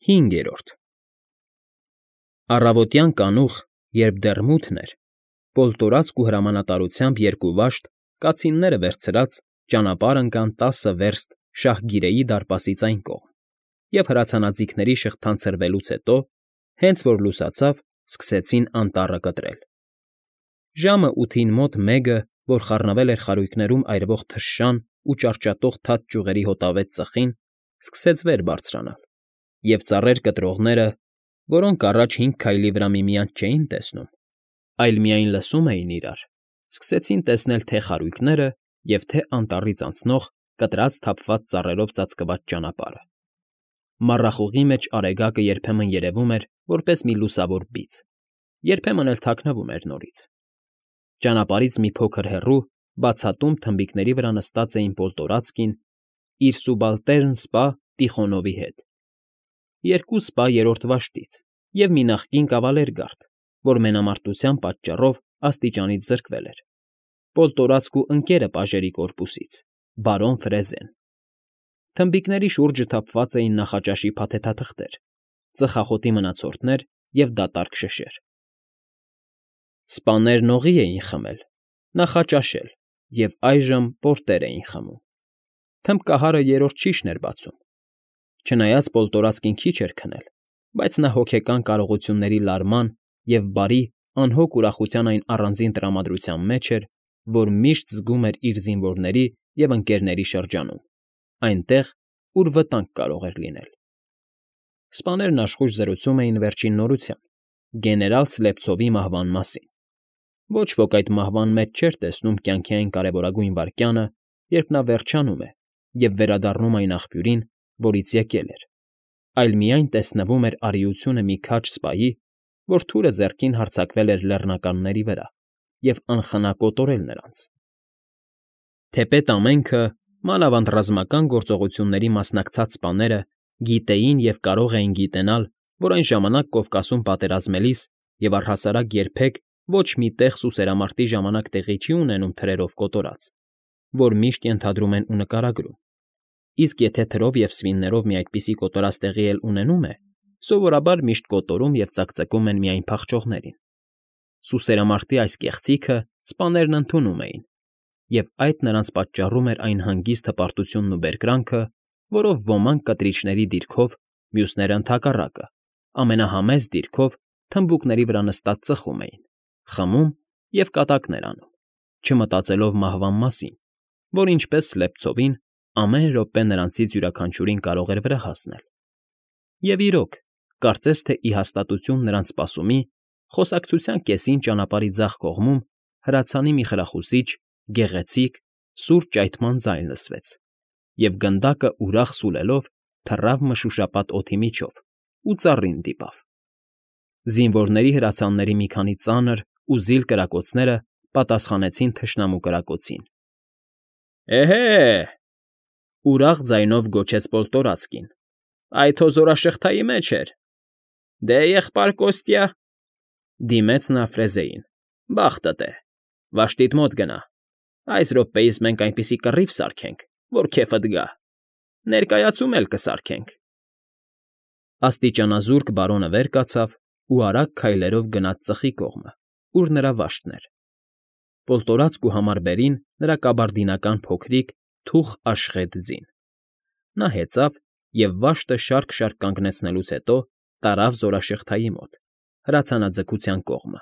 5. Առավոտյան կանուխ, երբ դեռ մութն էր, պոլտորացք ու հրամանատարությամբ երկու վաշտ, կացինները վերցրած, ճանապարհ ընկան 10 վերստ Շահգիրեի դարպասից այն կողմ և հրացանաձիգների շղթան ցրվելուց հետո, հենց որ լուսացավ, սկսեցին անտառը կտրել։ Ժամը 8-ին մոտ մեկը, որ խառնվել էր խարույկներում այրվող թշշան ու ճարճատող թաց ճյուղերի հոտավետ ծխին, սկսեց վեր բարձրանալ, և ծառեր կտրողները, որոնք առաջ 5 քայլի վրա միմյանց չէին տեսնում, այլ միայն լսում էին իրար, սկսեցին տեսնել թե խարույկները և թե անտառից անցնող կտրած թափված ծառերով ծածկված ճանապարհը։ Մառախուղի մեջ Արեգակը երբեմն երևում էր որպես մի լուսավոր բիծ, երբեմն էլ թաքնվում էր նորից։ Ճանապարհից մի փոքր հեռու, բացատում թմբիկների վրա նստած էին Պոլտորացկին իր սուբալտերն սպա Տիխոնովի հետ, երկու սպա երրորդ վաշտից և մի նախկին կավալերգարդ, որ մենամարտության պատճառով աստիճանից զրկվել էր, Պոլտորացկու ընկերը Պաժերի կորպուսից, բարոն Ֆրեզեն։ Թմբիկների շուրջը թափված էին նախաճաշի փաթեթաթղթեր, ծխախոտի մնացորդներ և դատարկ շշեր։ Սպաներն օղի էին խմել, նախաճաշել և այժմ պորտեր էին խմում։ Թմբկահարը երրորդ շիշն էր բացում։ Չնայած Պոլտորացկին քիչ էր քնել, բայց նա հոգեկան կարողությունների լարման և բարի, անհոգ ուրախության այն առանձին տրամադրության մեջ էր, որ միշտ զգում էր իր զինվորների և ընկերների շրջանում, այնտեղ, ուր վտանգ կարող էր լինել։ Սպաներն աշխույժ զրուցում էին վերջին նորության՝ գեներալ Սլեպցովի մահվան մասին։ Ոչ ոք այդ մահվան մեջ չէր տեսնում կյանքի այն կարևորագույն վայրկյանը, երբ նա վերջանում է և վերադառնում այն աղբյուրին, որից եկել էր, այլ միայն տեսնվում էր արիությունը մի քաջ սպայի, որ թուրը ձեռքին հարձակվել էր լեռնականների վրա և անխնա կոտորել նրանց։ Թեպետ ամենքը, մանավանդ ռազմական գործողությունների մասնակցած սպաները գիտեին և կարող էին գիտենալ, որ այն ժամանակ Կովկասում պատերազմելիս և առհասարակ երբեք ոչ մի տեղ սուսերամարտի ժամանակ տեղի չի ունենում թրերով կոտորած, որ միշտ ենթադրում են ու նկարագրում, իսկ եթե թրով և սվիններով մի այդպիսի կոտորած տեղի էլ ունենում է, սովորաբար միշտ կոտորում և ծակծկում են միայն փախչողներին։ Սուսերամարտի այս կեղծիքը սպաներն ընդունում էին, և այդ նրանց պատճառում էր այն հանգիստ հպարտությունն ու բերկրանքը, որով ոմանք կտրիչների դիրքով, մյուսները ընդհակառակը, ամենահամեստ դիրքով թմբուկների վրա նստած ծխում էին, խմում և կատակներ անում, չմտածելով մահվան մասին, որ ինչպես Սլեպցովին, ամեն րոպե նրանցից յուրաքանչյուրին կարող էր վրա հասնել։ Եվ իրոք, կարծես թե ի հաստատություն նրանց սպասումի, խոսակցության կեսին ճանապարհի ձախ կողմում հրացանի մի խրախուսիչ, գեղեցիկ, սուր ճայթման ձայն լսվեց, և գնդակը ուրախ սուլելով թռավ մշուշապատ օդի միջով ու ծառին դիպավ։ Զինվորների հրացանների մի քանի ծանր ու զիլ կրակոցները պատասխանեցին թշնամու կրակոցին։ Էհե՜, ուրախ ձայնով գոչեց Պոլտորացկին, այդ հո զորաշղթայի մեջ էր։ Դե, եղբայր Կոստյա, դիմեց նա Ֆրեզեին, բախտդ է, վաշտիդ մոտ գնա, այս րոպեիս մենք այնպիսի կռիվ սարքենք, որ քեֆդ գա, ներկայացում էլ կսարքենք։ Աստիճանազուրկ բարոնը վեր կացավ ու արագ քայլերով գնաց ծխի կողմը, ուր նրա վաշտն էր։ Պոլտորացկու համարբերին նրա կաբարդինական փոքրիկ, թուխ աշխետ ձին։ Նա հեծավ և վաշտը շարք֊շարք կանգնեցնելուց հետո տարավ զորաշղթայի մոտ, հրացանաձգության կողմը։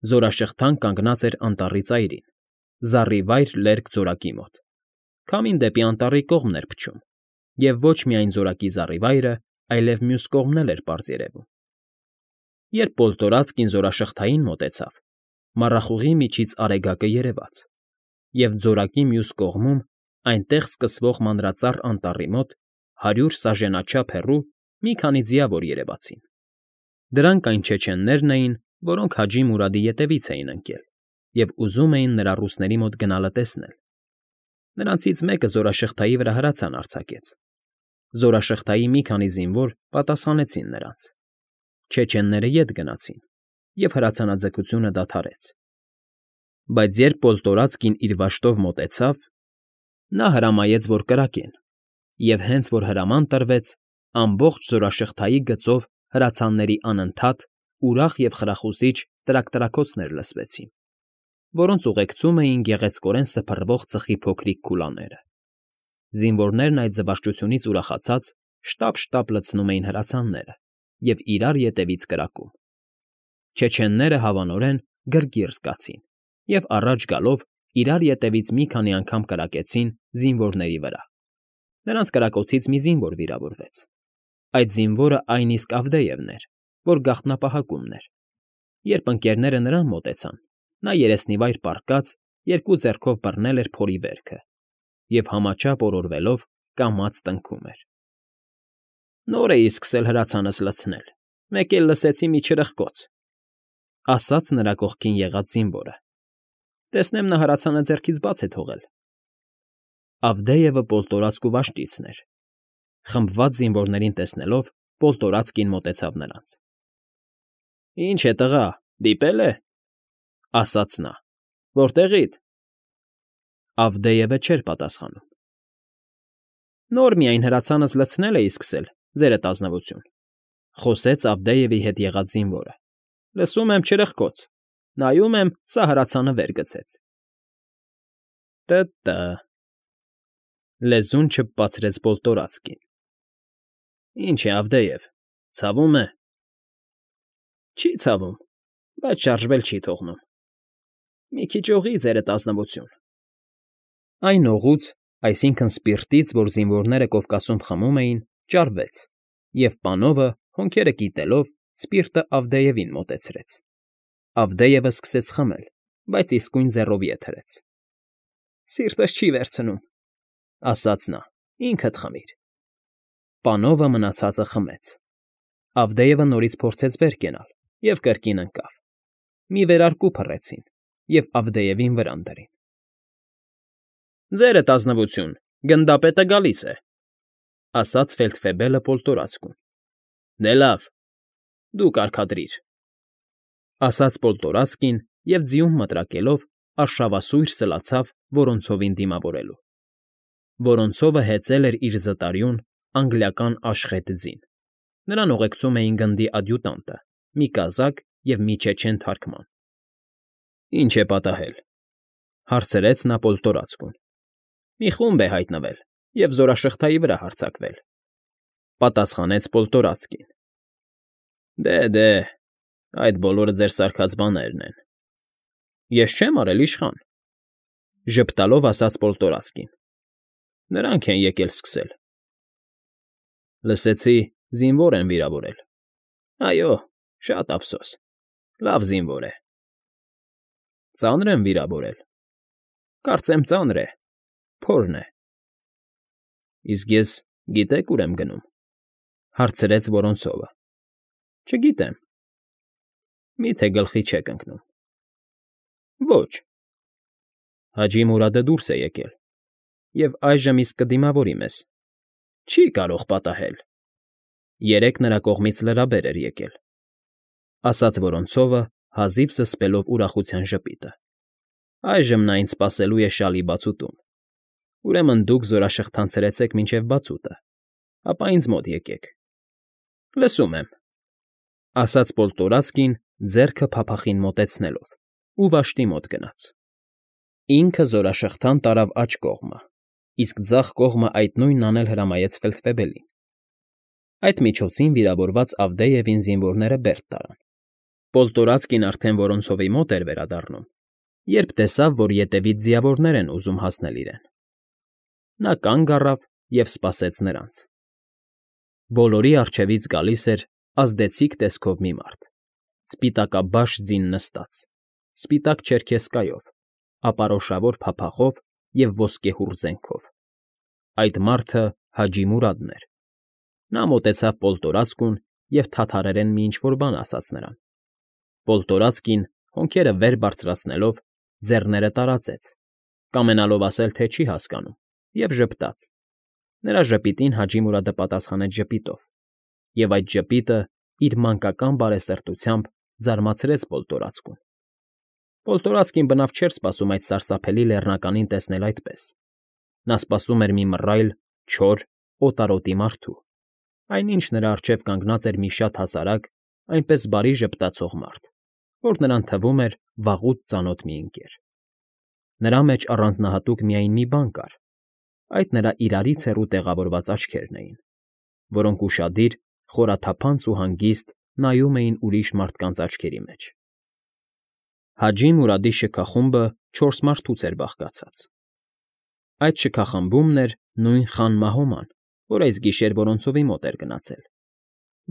Զորաշղթան կանգնած էր անտառի ծայրին, զառիվայր լերկ ձորակի մոտ։ Քամին դեպի անտառի կողմն էր փչում, և ոչ միայն ձորակի զառիվայրը, այլև մյուս կողմն էլ էր պարզ երևում։ Երբ Պոլտորացկին զորաշղթային մոտեցավ, մառախուղի միջից Արեգակը երևաց, և ձորակի մյուս կողմում, այնտեղ սկսվող մանրածառ անտառի մոտ 100 սաժենաչափ հեռու մի քանի ձիավոր երևացին։ Դրանք այն չեչեններն էին, որոնք Հաջի Մուրադի ետևից էին ընկել և ուզում էին նրա ռուսների մոտ գնալը տեսնել։ Նրանցից մեկը զորաշղթայի վրա հրացան արձակեց։ Զորաշղթայի մի քանի զինվոր պատասխանեցին նրանց։ Չեչենները ետ գնացին, և հրացանաձգությունը դադարեց։ Բայց երբ Պոլտորացկին իր վաշտով մոտեցավ, նա հրամայեց, որ կրակեն, և հենց որ հրաման տրվեց, Ամբողջ զորաշղթայի գծով հրացանների անընդհատ, ուրախ և խրախուսիչ տրակ֊տրակոցներ լսվեցին, որոնց ուղեկցում էին գեղեցկորեն սփռվող ծխի փոքրիկ քուլաները։ Զինվորներն այդ զվարճությունից ուրախացած շտապ֊շտապ լցնում էին հրացանները և իրար ետևից կրակում։ Չեչենները հավանորեն գրգիռ զգացին և առաջ գալով իրար ետևից մի քանի անգամ կրակեցին զինվորների վրա։ Նրանց կրակոցից մի զինվոր վիրավորվեց։ Այդ զինվորը այն իսկ Ավդեևն էր, որ գաղտնապահակումն էր։ Երբ ընկերները նրան մոտեցան, նա երեսնիվայր պառկած, երկու ձեռքով բռնել էր փորի վերքը և համաչափ օրորվելով կամաց տնքում էր։ «Նոր էի սկսել հրացանս լցնել, մեկ էլ լսեցի մի չրպկոց,֊ ասաց նրա կողքին եղած զինվորը։֊ Տեսնեմ նա հրացանը ձեռքից բաց է թողել»։ Ավդեևը պոլտորացք ու վաշտիցն էր։ Խմբված զինվորներին տեսնելով՝ պոլտորացկին մոտեցավ նրանց։ «Ինչ է, տղա, դիպե՞լ է,֊ ասաց նա։֊ Որտեղի՞դ»։ Ավդեևը չէր պատասխանում։ «Նոր միայն հրացանս լցնել էի սկսել, ձերդ ազնվություն,֊ խոսեց Ավդեևի հետ եղած զինվորը։֊ Լսում եմ չրպկոց, նայում եմ, սա հրացանը վեր գցեց»։ Տ֊տ,֊ լեզուն չփպացրեց պոլտորացկին։ «Ինչ է, Ավդեև, ցավում է»։ Չի ցավում, բայց շարժվել չի թողնում։ Մի քիչ օղի, ձերդ ազնվություն։ Այն օղուց, այսինքն՝ սպիրտից, որ զինվորները Կովկասում խմում էին, ճարվեց, և պանովը, հոնքերը կիտելով, սպիրտը Ավդեևին մոտեցրեց։ Ավդեևը սկսեց խմել, բայց իսկույն ձեռով ետ հրեց։ «Սիրտս չի վերցնում,֊ ասաց նա,֊ ինքդ խմիր»։ Պանովը մնացածը խմեց։ Ավդեևը նորից փորձեց վեր կենալ և կրկին ընկավ։ Մի վերարկու փռեցին և Ավդեևին վրան դրին։ «Ձերդ ազնվություն, գնդապետը գալիս է,֊ ասաց ֆելդֆեբելը պոլտորացկուն։ Դե լավ, դու կարգադրիր,֊ ասաց պոլտորացկին և ձիուն մտրակելով արշավասույր սլացավ Որոնցովին դիմավորելու։ Որոնցովը հեծել էր իր զտարյուն, անգլիական աշխետ ձին։ Նրան ուղեկցում էին գնդի ադյուտանտը, մի կազակ և մի չեչեն թարքման։ «Ի՞նչ է պատահել,֊ հարցրեց նա պոլտորացկուն։ «Մի խումբ է հայտնվել և զորաշղթայի վրա հարձակվել,֊ պատասխանեց պոլտորացկին։ Դե, այդ բոլորը ձեր սարքած բաներն են։ Ես չեմ արել, իշխան,֊ ժպտալով ասաց պոլտորացկին։ Նրանք են եկել սկսել։ Լսեցի, զինվոր են վիրավորել։ Այո, շատ ափսոս, լավ զինվոր է։ Ծա՞նր են վիրավորել։ Կարծեմ ծանր է, փորն է։ Իսկ ես գիտե՞ք ուր եմ գնում,֊ հարցրեց Որոնցովը։ Չգիտեմ։ Մի՞թե գլխի չեք ընկնում։ Ոչ։ Հաջի Մուրադը դուրս է եկել և այժմ իսկ կդիմավորի մեզ։ Չի կարող պատահել։ Երեկ նրա կողմից լրաբեր էր եկել,֊ ասաց Որոնցովը, հազիվ զսպելով ուրախության ժպիտը։ Այժմ նա ինձ սպասելու է շալի բացուտում։ Ուրեմն դուք զորաշղթան ցրեցեք մինչև բացուտը, ապա ինձ մոտ եկեք։ Լսում եմ,֊ ասաց պոլտորացկին, ձեռքը փափախին մոտեցնելով, ու վաշտի մոտ գնաց։ Ինքը զորաշղթան տարավ աջ կողմը, իսկ ձախ կողմը այդ նույնն անել հրամայեց ֆելդֆեբելին։ Այդ միջոցին վիրավորված Ավդեևին զինվորները բերդ տարան։ Պոլտորացկին արդեն Որոնցովի մոտ էր վերադառնում, երբ տեսավ, որ ետևից ձիավորներ են ուզում հասնել իրեն։ Նա կանգ առավ և սպասեց նրանց։ Բոլորի առջևից գալիս էր ազդեցիկ տեսքով մի մարդ, սպիտակաբաշ ձին նստած, սպիտակ չերքեզկայով, ապարոշավոր փափախով և ոսկեհուռ զենքով։ Այդ մարդը Հաջի Մուրադն էր։ Նա մոտեցավ պոլտորացկուն և թաթարերեն մի ինչ֊որ բան ասաց նրան։ Պոլտորացկին, հոնքերը վեր բարձրացնելով, ձեռները տարածեց, կամենալով ասել, թե չի հասկանում, և ժպտաց։ Նրա ժպիտին Հաջի Մուրադը պատասխանեց ժպիտով, և այդ ժպիտը իր մանկական բարեսրտությամբ զարմացրեց պոլտորացկուն։ Պոլտորացկին բնավ չէր սպասում այդ սարսափելի լեռնականին տեսնել այդպես։ Նա սպասում էր մի մռայլ, չոր, օտարոտի մարդու, այնինչ նրա առջև կանգնած էր մի շատ հասարակ, այնպես բարի ժպտացող մարդ, որ նրան թվում էր վաղուց ծանոթ մի ընկեր։ Նրա մեջ առանձնահատուկ միայն մի բան կար. այդ նրա իրարից հեռու տեղավորված աչքերն էին, որոնք ուշադիր, խորաթափանց ու հանգիստ նայում էին ուրիշ մարդկանց աչքերի մեջ։ Հաջի Մուրադի շքախումբը 4 մարդուց էր բաղկացած։ Այդ շքախմբումն էր նույն Խան Մահոման, որ այս գիշեր Որոնցովի մոտ էր գնացել։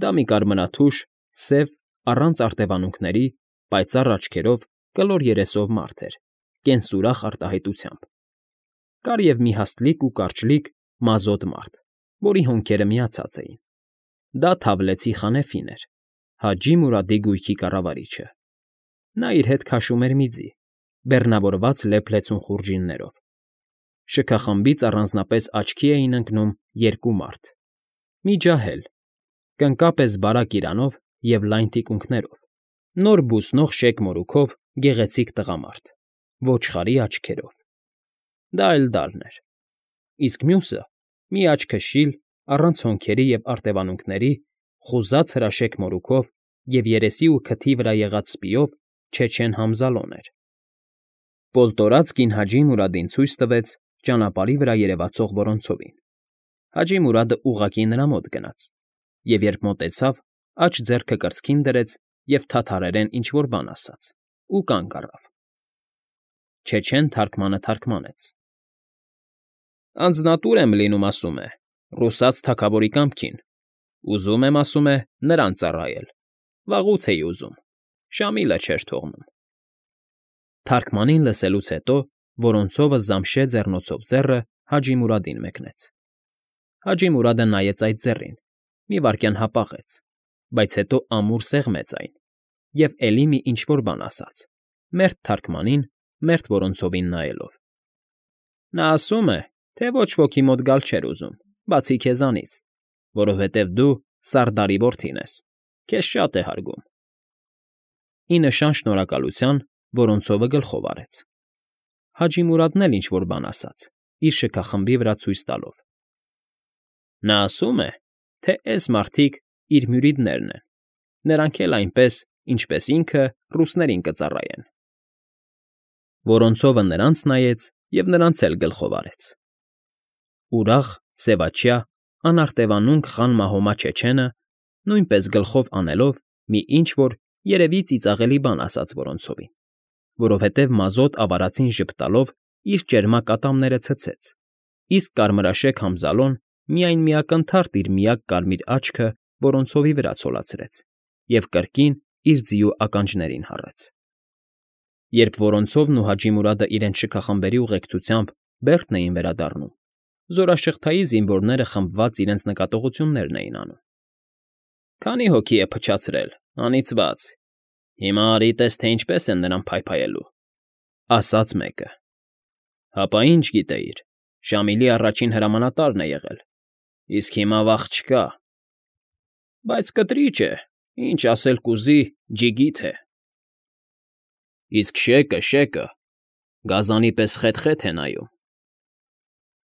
Դա մի կարմրաթուշ, սև, առանց արտևանունքների, պայծառ աչքերով, կլոր երեսով մարդ էր, կենսուրախ արտահայտությամբ։ Կար և մի հաստլիկ ու կարճլիկ մազոտ մարդ, որի հոնքերը միացած էին։ Դա Թավլեցի Խանեֆին էր, Հաջի Մուրադի գույքի կառավարիչը։ Նա իր հետ քաշում էր մի ձի, բեռնավորված լեփ-լեցուն խուրջիններով։ Շքախմբից առանձնապես աչքի էին ընկնում 2 մարդ. մի ջահել, կնկապես բարակ իրանով և լայն թիկունքներով, նոր բուսնող շեկ մորուքով գեղեցիկ տղամարդ, ոչխարի աչքերով։ Դա Էլդարն էր։ Իսկ մյուսը՝ մի աչքշիլ, առանց հոնքերի և արտևանունքների, խուզած հրաշեկ մորուքով և երեսի ու քթի վրա եղած սպիով Չեչեն Համզալոն էր։ Պոլտորած կին Հաջի Մուրադին ցույց տվեց ճանապարհի վրա երևացող Որոնցովին։ Հաջի Մուրադը ուղղակի նրա մոտ գնաց, և երբ մոտեցավ, աջ ձեռքը կրծքին դրեց և թաթարերեն ինչ֊որ բան ասաց ու կանգ առավ։ Չեչեն թարգմանը թարգմանեց. Անձնատուր եմ լինում, ասում է, ռուսաց թագավորի կամքին։ Ուզում եմ, ասում է, նրան ծառայել։ Վաղուց էի ուզում, Շամիլը չէր թողնում։ Թարգմանին լսելուց հետո Որոնցովը զամշե ձեռնոցով ձեռը Հաջի Մուրադին մեկնեց։ Հաջի Մուրադը նայեց այդ ձեռին, մի վայրկյան հապաղեց, բայց հետո ամուր սեղմեց այն և էլի մի ինչ֊որ բան ասաց, մերթ թարգմանին, մերթ Որոնցովին նայելով։ Նա ասում է, թե ոչ ոքի մոտ գալ չէր ուզում, բացի քեզանից, որովհետև դու Սարդարի որդին ես, քեզ շատ է հարգում։ Ի նշան շնորհակալության Որոնցովը գլխով արեց։ Հաջի Մուրադն էլ ինչ֊որ բան ասաց, իր շքախմբի վրա ցույց տալով։ Նա ասում է, թե էս մարդիկ իր մյուրիդներն են, նրանք էլ այնպես, ինչպես ինքը, ռուսներին կծառայեն։ Որոնցովը նրանց նայեց և նրանց էլ գլխով արեց։ Ուրախ, սևաչյա, անարտևանունք Խան Մահոմա Չեչենը նույնպես գլխով անելով մի ինչ֊որ երևի ծիծաղելի բան ասաց Որոնցովին, որովհետև մազոտ ավարածին ժպտալով իր ճերմակ ատամները ցցեց, իսկ կարմրաշեկ Համզալոն միայն մի ակնթարթ իր միակ կարմիր աչքը Որոնցովի վրա ցոլացրեց և կրկին իր ձիու ականջներին հառեց։ Երբ Որոնցովն ու Հաջի Մուրադը իրենց շքախմբերի ուղեկցությամբ Բերդն էին վերադառնում, զորաշղթայի զինվորները խմբված իրենց նկատողություններն էին անում։ Քանի հոգի է փչացրել, անիծված։ Հիմա արի տես, թե ինչպես են նրան փայփայելու, ասաց մեկը։ Հապա ինչ գիտեիր, Շամիլի առաջին հրամանատարն է եղել, իսկ հիմա վախ չկա։ Բայց կտրիճ է, ինչ ասել կուզի, ջիգիթ է։ Իսկ շեկը, գազանի պես խեթ֊խեթ է նայում։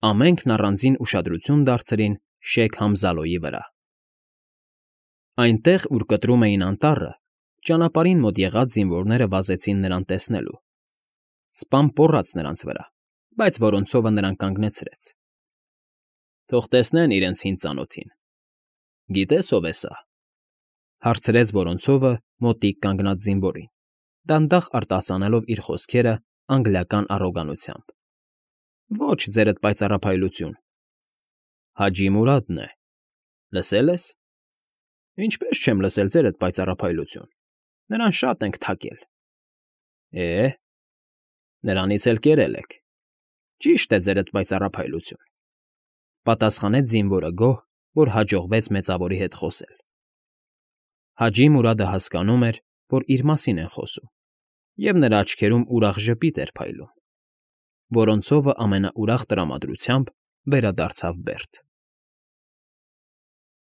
Ամենքն առանձին ուշադրություն դարձրին Շեյք Համզալոյի վրա։ Այնտեղ, ուր կտրում էին անտառը, ճանապարհին մոտ եղած զինվորները վազեցին նրան տեսնելու։ Սպան պոռաց նրանց վրա, բայց Որոնցովը նրան կանգնեցրեց։ Թող տեսնեն իրենց հին ծանոթին։ Գիտես ով է սա, հարցրեց Որոնցովը մոտիկ կանգնած զինվորին, դանդաղ արտասանելով իր խոսքերը անգլիական առոգանությամբ։ Ոչ, ձերդ պայծառափայլություն։ Հաջի Մուրադն է։ Լսել ես։ Ինչպես չեմ լսել ձերդ պայծառափայլություն։ Նրան շատ ենք թակել։ Նրանից էլ կերել եք։ Ճիշտ է ձերդ պայծառափայլություն, պատասխանեց զինվորը գոհ, որ հաջողվեց մեծավորի հետ խոսել։ Հաջի Մուրադը հասկանում էր, որ իր մասին են խոսում, և նրա աչքերում ուրախ ժպիտ էր փայլում։ Որոնցովը ամենաուրախ տրամադրությամբ վերադարձավ Բերդ։